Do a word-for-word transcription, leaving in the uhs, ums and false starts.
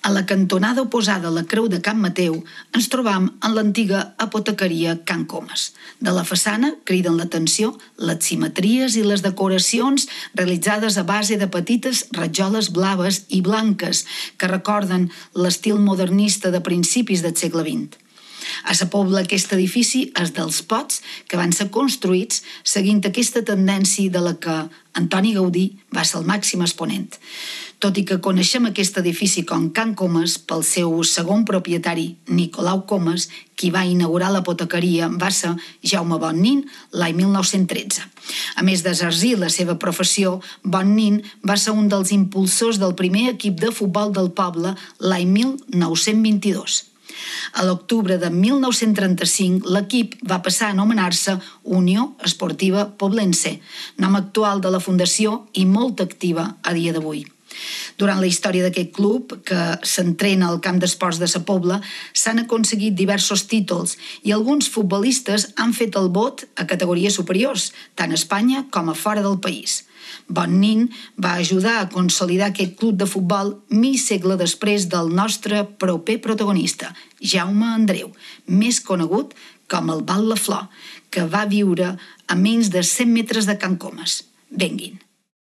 A la cantonada oposada a la Creu de Can Mateu ens trobam en l'antiga apotecaria Can Comas. De la façana criden l'atenció les simetries i les decoracions realitzades a base de petites rajoles blaves i blanques que recorden l'estil modernista de principis del segle vint. A Sa Pobla aquest edifici és dels pocs que van ser construïts seguint aquesta tendència de la que Antoni Gaudí va ser el màxim exponent. Tot i que coneixem aquest edifici com Can Comas pel seu segon propietari, Nicolau Comas, qui va inaugurar l'apotecaria va ser Jaume Bonnin l'any mil nou-cents tretze. A més d'exercir la seva professió, Bonnin va ser un dels impulsors del primer equip de futbol del poble l'any mil nou-cents vint-i-dos. A l'octubre de mil nou-cents trenta-cinc, l'equip va passar a anomenar-se Unió Esportiva Poblense, nom actual de la fundació i molt activa a dia d'avui. Durant la història d'aquest club, que s'entrena al camp d'esports de Sa Pobla, s'han aconseguit diversos títols i alguns futbolistes han fet el bot a categories superiors, tant a Espanya com a fora del país. Bonnin va ajudar a consolidar aquest club de futbol mig segle després del nostre proper protagonista, Jaume Andreu, més conegut com el Bat la Flor, que va viure a menys de cent metres de Can Comas. Venguin.